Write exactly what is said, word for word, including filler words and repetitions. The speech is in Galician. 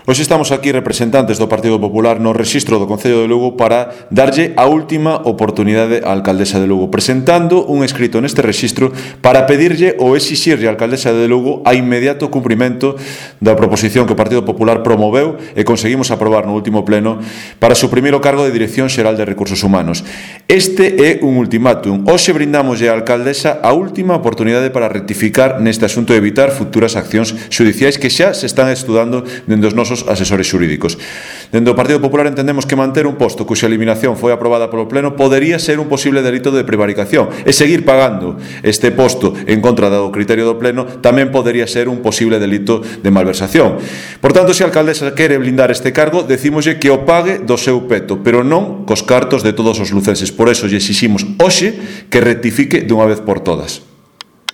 Hoxe estamos aquí representantes do Partido Popular no rexistro do Concello de Lugo para darlle a última oportunidade á alcaldesa de Lugo, presentando un escrito neste rexistro para pedirlle ou exixirlle á alcaldesa de Lugo a inmediato cumprimento da proposición que o Partido Popular promoveu e conseguimos aprobar no último pleno para suprimir o cargo de Dirección Xeral de Recursos Humanos. Este é un ultimátum. Hoxe brindamoslle á alcaldesa a última oportunidade para rectificar neste asunto e evitar futuras accións xudiciais que xa se están estudando dende os nosos asesores xurídicos. Dende o Partido Popular entendemos que manter un posto cuxa eliminación foi aprobada polo Pleno podería ser un posible delito de prevaricación e seguir pagando este posto en contra do criterio do Pleno tamén podería ser un posible delito de malversación. Por tanto, se a alcaldesa quere blindar este cargo, decímoslle que o pague do seu peto, pero non cos cartos de todos os lucenses. Por eso lle exiximos hoxe que rectifique dunha vez por todas.